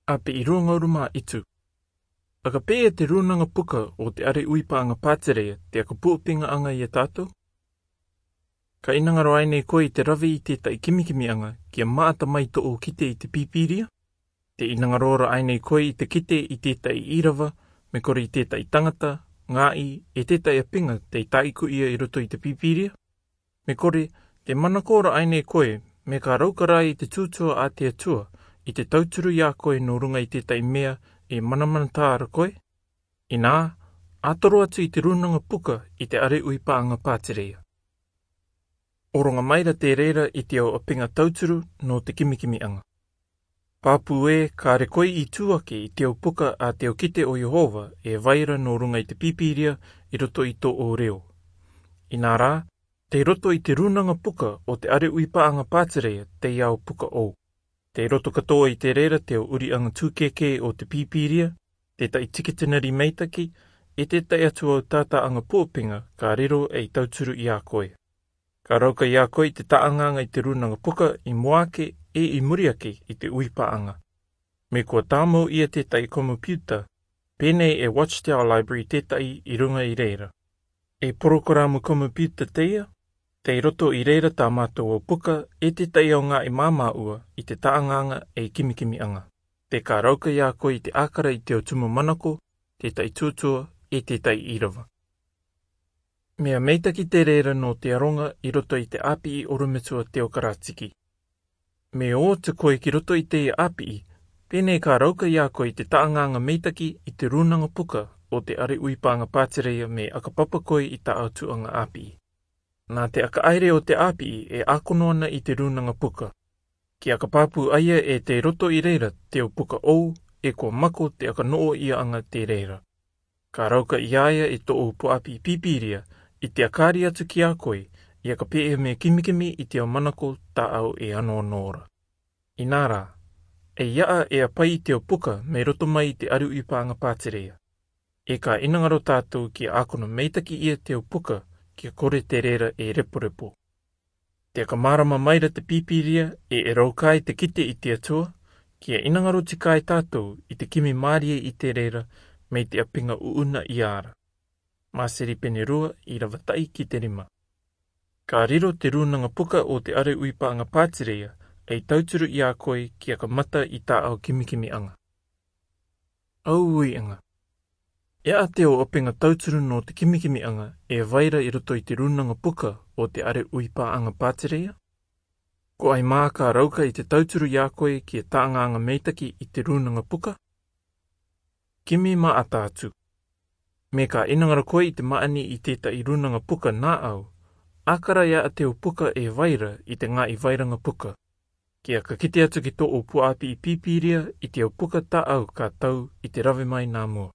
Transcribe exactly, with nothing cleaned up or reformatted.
Api i ruangauru ma itu. Aka pē ia te rūnanga puka o te are uipāʻaga pātireia te aka puʻapīgaʻaga ia tātou? Ka ʻinanga rō ʻaenei koe i te rave i tētaʻi kimikimiʻaga kia maʻata mai tō ʻou kite i te pīpīria? Te ʻinanga rō ra ʻaenei koe i te kite i tētaʻi ʻīrava, me kore i tētaʻi tangata, gāʻi, e tētaʻi ʻapiga tei tāʻiku ia i roto i te pīpīria? Me kore, te manako ra ʻaenei koe, me ka rauka rā i te tūtua a te Atua i te tauturu ia koe nō ruga i tētaʻi mea e manamanatā ra koe? Inā, ʻatoro atu i te rūnanga puka i te are uipāʻaga pātireia. ʻOroga mai ra te reira i te au ʻapiga tauturu nō te kimikimiʻaga. Pāpū ē, kāre koe i tū ake i te au puka a te au kite o Iehova e vai ra nō ruga i te pīpīria i roto i tō ʻou reo. Inā rā, tei roto i te rūnanga puka o te are uipāʻaga pātireia te au puka ʻou. Tei roto katoa i te reira te au ʻuriʻaga tūkēkē o te pīpīria, tētaʻi tikitinari meitaki, e tētaʻi atu au tātāʻaga puʻapīga ka riro ei tauturu ia koe. Ka rauka ia koe i te taʻaŋaŋa i te rūnanga puka i mua ake e i muri ake i te uipāʻaga. Me kua tāmau ia tētaʻi komipiuta, pēnei e Watchtower Library tētaʻi i ruga i reira. E porokoramu komipiuta teie, tei roto i reira tā mātou au puka e tētaʻi au gāʻi māmāʻua i te taʻaŋaŋa ei kimikimiʻaga. Te ka rauka ia koe i te ʻākara i te au tumu manako, tētaʻi tūtua, e tētaʻi ʻīrava. Mea meitaki te reira nō te aroga i roto i te ʻāpiʻi ʻorometua teokaratiki. Me ō atu koe ki roto i teie ʻāpiʻi, pēnei ka rauka ia koe i te taʻaŋaŋa meitaki i te rūnanga puka o te are uipāʻaga pātireia me aka papa koe i tā au tuʻaga ʻāpiʻi. Nā te aka ʻaere o te ʻāpiʻi e ʻākono ana i te rūnanga puka. Kia ka pāpū ʻaia e tei roto i reira te au puka ʻou, e kua mako te aka noʻo iaʻaga te reira. Ka rauka ia ia e tō ʻou puʻapiʻi pīpīria i te aka ʻari atu ki a koe, ia ka pē e mea kimikimi i te au manako tā au e ano nō ra. Inā rā, e iaʻa e ʻapai i te au puka me roto mai i te are uipāʻaga pātireia. E ka ʻinanga rō tātou kia ʻākono meitaki ia te au puka kia kore te reira e reporepo. Te aka mārama mai ra te pīpīria e e rauka ai te kite i te Atua, kia ʻinanga rō tika ai tātou i te kimi mārie i te reira, mei te ʻapiga ʻuʻuna ia ra. Māseri pene rua ʻīrava taʻi ki te rima. Ka riro te rūnanga puka o te are uipāʻaga pātireia ei tauturu ia koe kia ka mata i tā au kimikimiʻaga. Au uiʻaga. E ʻa te au ʻapiga tauturu nō te kimikimiʻaga e vai ra i roto i te rūnanga puka o te are uipāʻaga pātireia? Ko ai mā ka rauka i te tauturu ia koe kia taʻaŋaŋa meitaki i te rūnanga puka? Kimi maʻata atu. Me ka ʻinanga rō koe i te maʻani i tētaʻi rūnanga puka nā au, ʻākara e ʻa te au puka e vai ra i te gāʻi vairaga puka. Kia ka kite atu ki tō ʻou puʻapiʻi pīpīria i te au puka tā au ka tau i te rave mai nā mua.